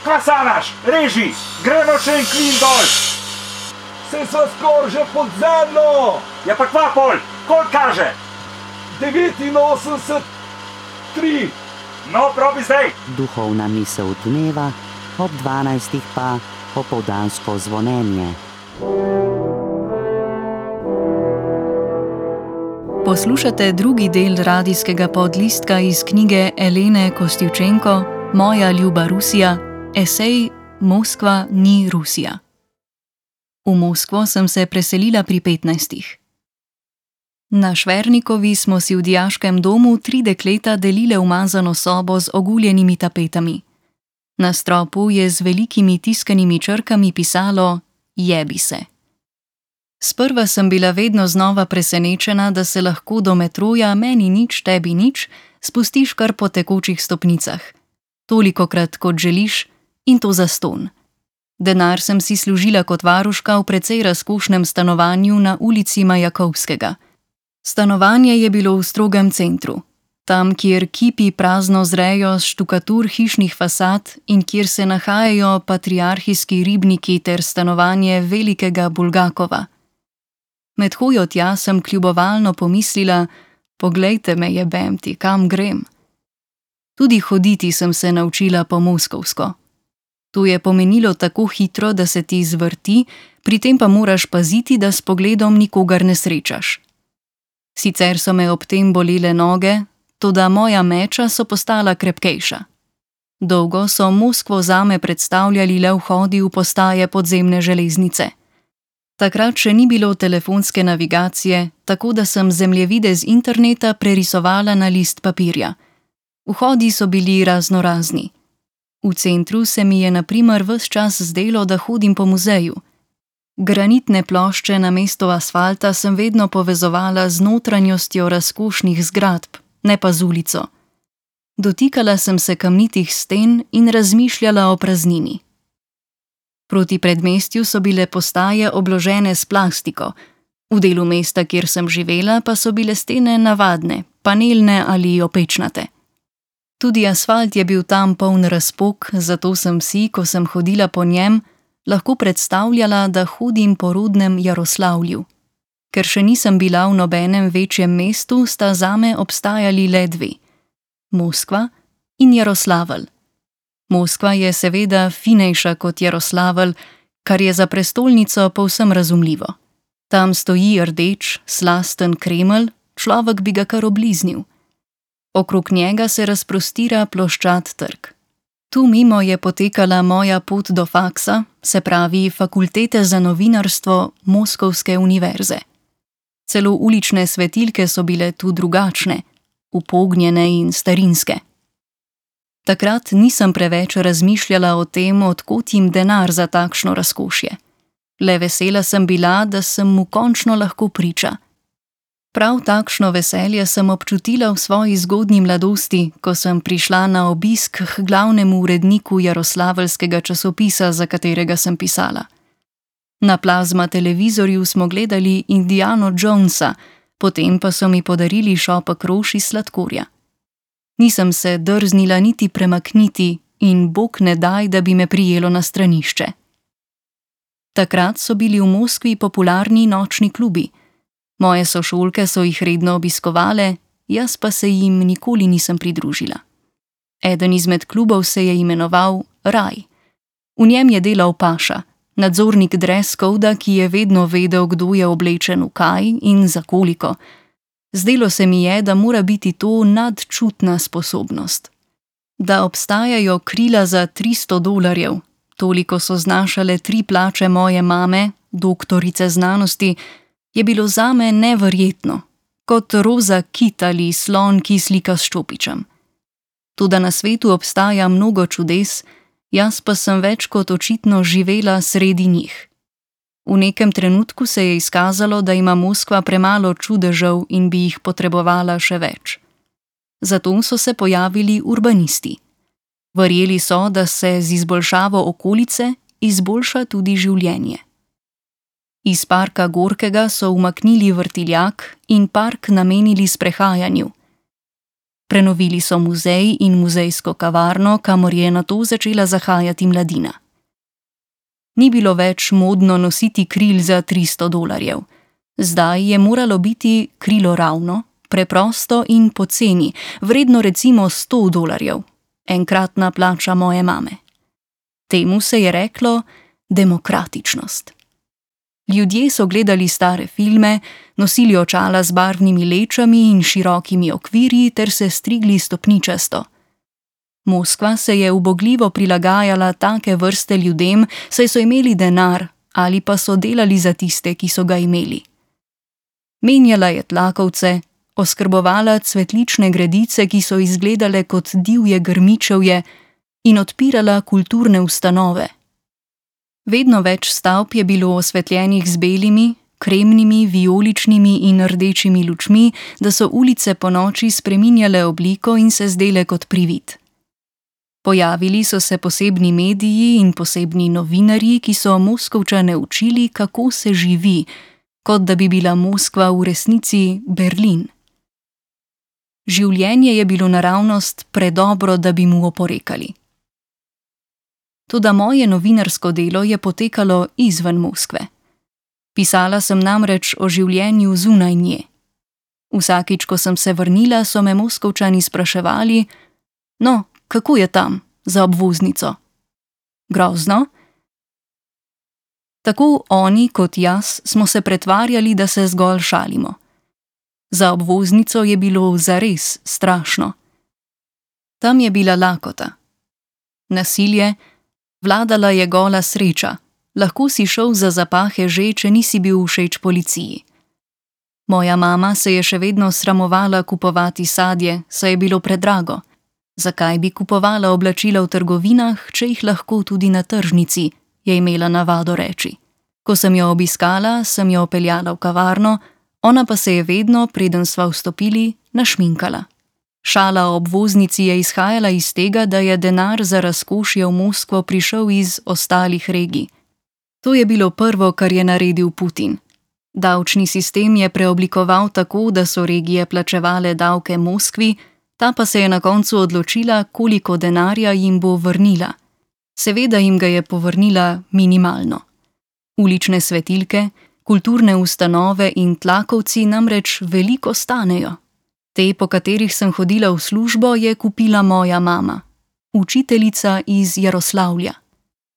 Kva sanaš? Reži, gremo še en klin dol. Se sva skoraj že pod zemljo. Ja pa kva pol, koliko kaže? 89,3. No, probi zdaj. Duhovna misel dneva, ob 12. pa popoldansko zvonjenje. Poslušate drugi del radijskega podlistka iz knjige Elene Kostivčenko Moja ljuba Rusija, esej Moskva ni Rusija. V Moskvo sem se preselila pri 15. Na Švernikovi smo si v dijaškem domu 3 dekleta delile umazano sobo z oguljenimi tapetami. Na stropu je z velikimi tiskanimi črkami pisalo Jebi se. Sprva sem bila vedno znova presenečena, da se lahko do metroja meni nič, tebi nič spustiš kar po tekočih stopnicah. Tolikokrat, kot želiš, in to zastonj. Denar sem si služila kot varuška v precej razkošnem stanovanju na ulici Majakovskega. Stanovanje je bilo v strogem centru, tam, kjer kipi prazno zrejo z štukatur hišnih fasad in kjer se nahajajo patriarhijski ribniki ter stanovanje velikega Bulgakova. Med hojo tja sem kljubovalno pomislila, poglejte me, jebem ti, kam grem. Tudi hoditi sem se naučila po moskovsko. To je pomenilo tako hitro, da se ti zvrti, pri tem pa moraš paziti, da s pogledom nikogar ne srečaš. Sicer so me ob tem bolele noge, toda moja meča so postala krepkejša. Dolgo so Moskvo zame predstavljali le vhodi v postaje podzemne železnice. Takrat še ni bilo telefonske navigacije, tako da sem zemljevide z interneta prerisovala na list papirja. Vhodi so bili raznorazni. V centru se mi je na primer ves čas zdelo, da hodim po muzeju. Granitne plošče namesto asfalta sem vedno povezovala z notranjostjo razkošnih zgradb, ne pa z ulico. Dotikala sem se kamnitih sten in razmišljala o praznini. Proti predmestju so bile postaje obložene s plastiko, v delu mesta, kjer sem živela, pa so bile stene navadne, panelne ali opečnate. Tudi asfalt je bil tam poln razpok, zato sem si, ko sem hodila po njem, lahko predstavljala, da hodim po rodnem Jaroslavlju. Ker še nisem bila v nobenem večjem mestu, sta zame obstajali le 2. Moskva in Jaroslavelj. Moskva je seveda finejša kot Jaroslavelj, kar je za prestolnico povsem razumljivo. Tam stoji rdeč, slasten Kremelj, človek bi ga kar obliznil. Okrog njega se razprostira ploščat trg. Tu mimo je potekala moja pot do faksa, se pravi fakultete za novinarstvo Moskovske univerze. Celo ulične svetilke so bile tu drugačne, upognjene in starinske. Takrat nisem preveč razmišljala o tem, od kod jim denar za takšno razkošje. Le vesela sem bila, da sem mu končno lahko priča. Prav takšno veselje sem občutila v svoji zgodnji mladosti, ko sem prišla na obisk k glavnemu uredniku Jaroslaveljskega časopisa, za katerega sem pisala. Na plazma televizorju smo gledali Indiano Jonesa, potem pa so mi podarili šopek rož iz sladkorja. Nisem se drznila niti premakniti in bog ne daj, da bi me prijelo na stranišče. Takrat so bili v Moskvi popularni nočni klubi. Moje sošolke so jih redno obiskovale, jaz pa se jim nikoli nisem pridružila. Eden izmed klubov se je imenoval Raj. V njem je delal paša, nadzornik dress coda, ki je vedno vedel, kdo je oblečen v kaj in za koliko. Zdelo se mi je, da mora biti to nadčutna sposobnost. Da obstajajo krila za $300, toliko so znašale 3 plače moje mame, doktorice znanosti, je bilo zame neverjetno, kot roza kit ali slon, ki slika s ščopičem. Toda na svetu obstaja mnogo čudes, jaz pa sem več kot očitno živela sredi njih. V nekem trenutku se je izkazalo, da ima Moskva premalo čudežev in bi jih potrebovala še več. Zato so se pojavili urbanisti. Verjeli so, da se z izboljšavo okolice izboljša tudi življenje. Iz parka Gorkega so umaknili vrtiljak in park namenili sprehajanju. Prenovili so muzej in muzejsko kavarno, kamor je nato začela zahajati mladina. Ni bilo več modno nositi kril za $300. Zdaj je moralo biti krilo ravno, preprosto in poceni, vredno recimo $100, enkratna plača moje mame. Temu se je reklo demokratičnost. Ljudje so gledali stare filme, nosili očala z barvnimi lečami in širokimi okvirji ter se strigli stopničasto. Moskva se je ubogljivo prilagajala take vrste ljudem, saj so imeli denar ali pa so delali za tiste, ki so ga imeli. Menjala je tlakovce, oskrbovala cvetlične gredice, ki so izgledale kot divje grmičevje, in odpirala kulturne ustanove. Vedno več stavb je bilo osvetljenih z belimi, kremnimi, vijoličnimi in rdečimi lučmi, da so ulice ponoči spreminjale obliko in se zdele kot privid. Pojavili so se posebni mediji in posebni novinarji, ki so Moskovčane učili, kako se živi, kot da bi bila Moskva v resnici Berlin. Življenje je bilo naravnost predobro, da bi mu oporekali. Toda moje novinarsko delo je potekalo izven Moskve. Pisala sem namreč o življenju zunaj nje. Vsakič, ko sem se vrnila, so me Moskovčani spraševali: "No, kako je tam, za obvoznico? Grozno?" Tako oni kot jaz smo se pretvarjali, da se zgolj šalimo. Za obvoznico je bilo zares strašno. Tam je bila lakota. Nasilje, vladala je gola sreča, lahko si šel za zapahe že, če nisi bil všeč policiji. Moja mama se je še vedno sramovala kupovati sadje, saj je bilo predrago. Zakaj bi kupovala oblačila v trgovinah, če jih lahko tudi na tržnici, je imela navado reči. Ko sem jo obiskala, sem jo peljala v kavarno, ona pa se je vedno, preden sva vstopili, našminkala. Šala o obvoznici je izhajala iz tega, da je denar za razkošje v Moskvo prišel iz ostalih regij. To je bilo prvo, kar je naredil Putin. Davčni sistem je preoblikoval tako, da so regije plačevale davke Moskvi, ta pa se je na koncu odločila, koliko denarja jim bo vrnila. Seveda jim ga je povrnila minimalno. Ulične svetilke, kulturne ustanove in tlakovci namreč veliko stanejo. Te, po katerih sem hodila v službo, je kupila moja mama, učiteljica iz Jaroslavlja.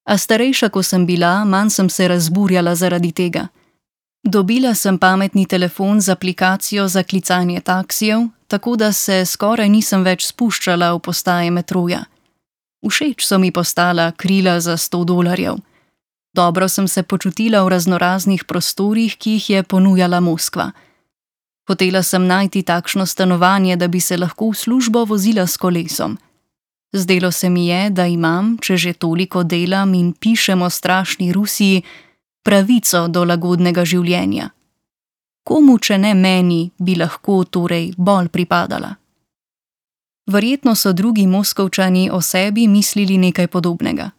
A starejša, ko sem bila, manj sem se razburjala zaradi tega. Dobila sem pametni telefon z aplikacijo za klicanje taksijev, tako da se skoraj nisem več spuščala v postaje metroja. Všeč so mi postala krila za $100. Dobro sem se počutila v raznoraznih prostorih, ki jih je ponujala Moskva. Hotela sem najti takšno stanovanje, da bi se lahko v službo vozila s kolesom. Zdelo se mi je, da imam, če že toliko delam in pišem o strašni Rusiji, pravico do lagodnega življenja. Komu, če ne meni, bi lahko torej bolj pripadala? Verjetno so drugi Moskovčani o sebi mislili nekaj podobnega.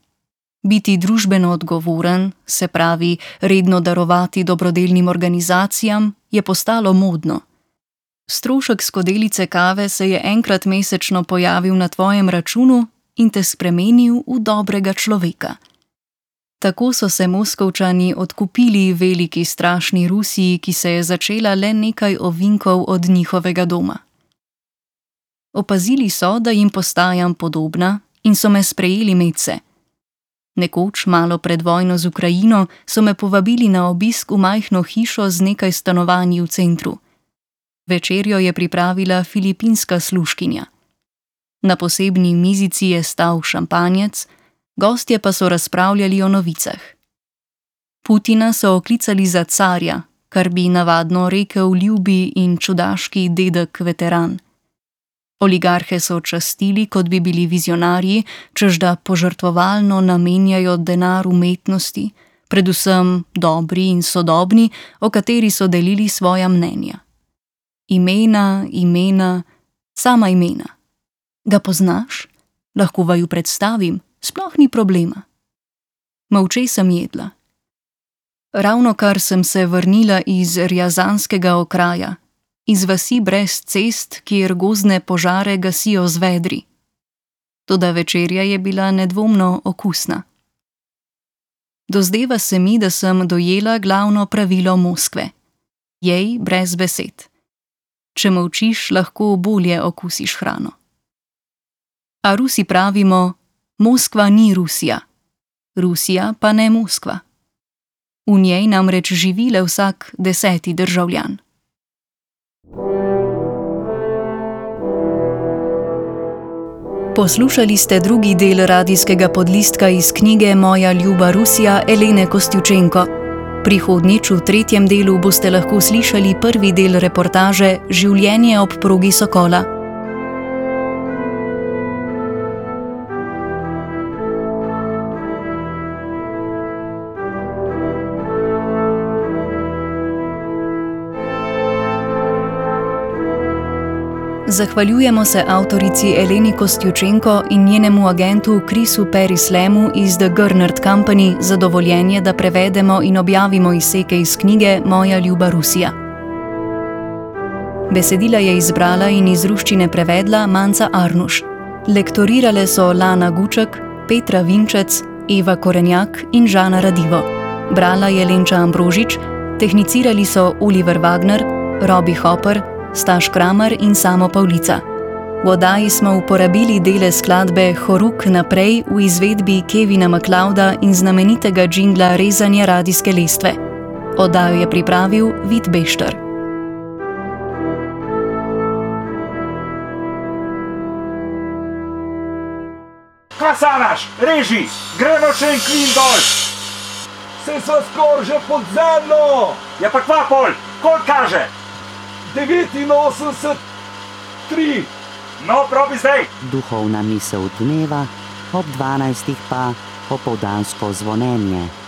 Biti družbeno odgovoren, se pravi redno darovati dobrodelnim organizacijam, je postalo modno. Strošek skodelice kave se je enkrat mesečno pojavil na tvojem računu in te spremenil v dobrega človeka. Tako so se Moskovčani odkupili veliki strašni Rusiji, ki se je začela le nekaj ovinkov od njihovega doma. Opazili so, da jim postajam podobna in so me sprejeli medse. Nekoč, malo pred vojno z Ukrajino, so me povabili na obisk v majhno hišo z nekaj stanovanji v centru. Večerjo je pripravila filipinska služkinja. Na posebni mizici je stal šampanjec, gostje pa so razpravljali o novicah. Putina so oklicali za carja, kar bi navadno rekel ljubi in čudaški dedek veteran. Oligarhe so častili, kot bi bili vizionarji, čež da požrtvovalno namenjajo denar umetnosti, predvsem dobri in sodobni, o kateri so delili svoja mnenja. Imena, sama imena. Ga poznaš? Lahko vaju predstavim, sploh ni problema. Molče sem jedla. Ravnokar sem se vrnila iz rjazanskega okraja. iz vasi brez cest, kjer gozdne požare gasijo z vedri. Toda večerja je bila nedvomno okusna. Dozdeva se mi, da sem dojela glavno pravilo Moskve. Jej brez besed. Če molčiš, lahko bolje okusiš hrano. A Rusi pravimo, Moskva ni Rusija. Rusija pa ne Moskva. V njej namreč živi le vsak 10. državljan. Poslušali ste drugi del radijskega podlistka iz knjige Moja ljuba Rusija Elene Kostjučenko. Prihodnjič v 3. delu boste lahko slišali prvi del reportaže Življenje ob progi Sokola. Zahvaljujemo se avtorici Eleni Kostjučenko in njenemu agentu Chrisu Perislemu iz The Gernert Company za dovoljenje, da prevedemo in objavimo izseke iz knjige Moja ljuba Rusija. Besedila je izbrala in iz ruščine prevedla Manca Arnuš. Lektorirale so Lana Guček, Petra Vinčec, Eva Korenjak in Žana Radivo. Brala je Lenča Ambrožič, tehnicirali so Oliver Wagner, Robbie Hopper, Staš Kramer in Samo Pavlica. V oddaji smo uporabili dele skladbe Horuk naprej v izvedbi Kevina MacLeoda in znamenitega džingla Rezanja radijske lestve. Oddajo je pripravil Vid Bešter. Kaj sanaš? Reži! Gremo še en klin dol! Saj sva skoraj že pod zemljo! Ja pa kva pol? Koliko kaže? 89, 3. No, probi zdaj! Duhovna misel dneva, ob 12. pa opoldansko zvonjenje.